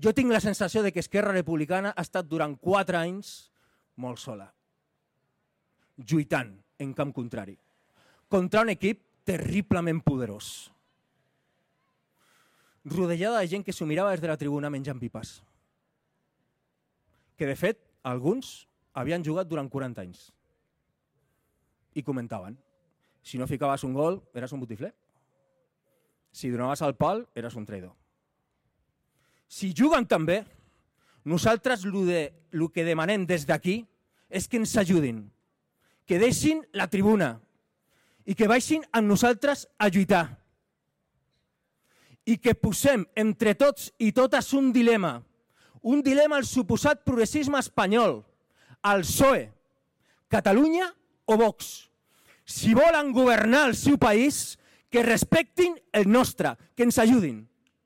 Jo tinc la sensació de que Esquerra Republicana ha estat durant 4 anys molt sola, lluitant en camp contrari, contra un equip terriblement poderós, rodejada de gent que s'ho mirava des de la tribuna menjant pipes, que de fet alguns havien jugat durant 40 anys i comentaven: si no ficaves un gol eres un botifler, si donaves el pal eres un traïdor. Si juguen també, nosaltres el que demanem des d'aquí és que ens ajudin, que deixin la tribuna i que baixin amb nosaltres a lluitar i que posem entre tots i totes un dilema al suposat progressisme espanyol, al PSOE, Catalunya o Vox. Si volen governar el seu país, que respectin el nostre, que ens ajudin.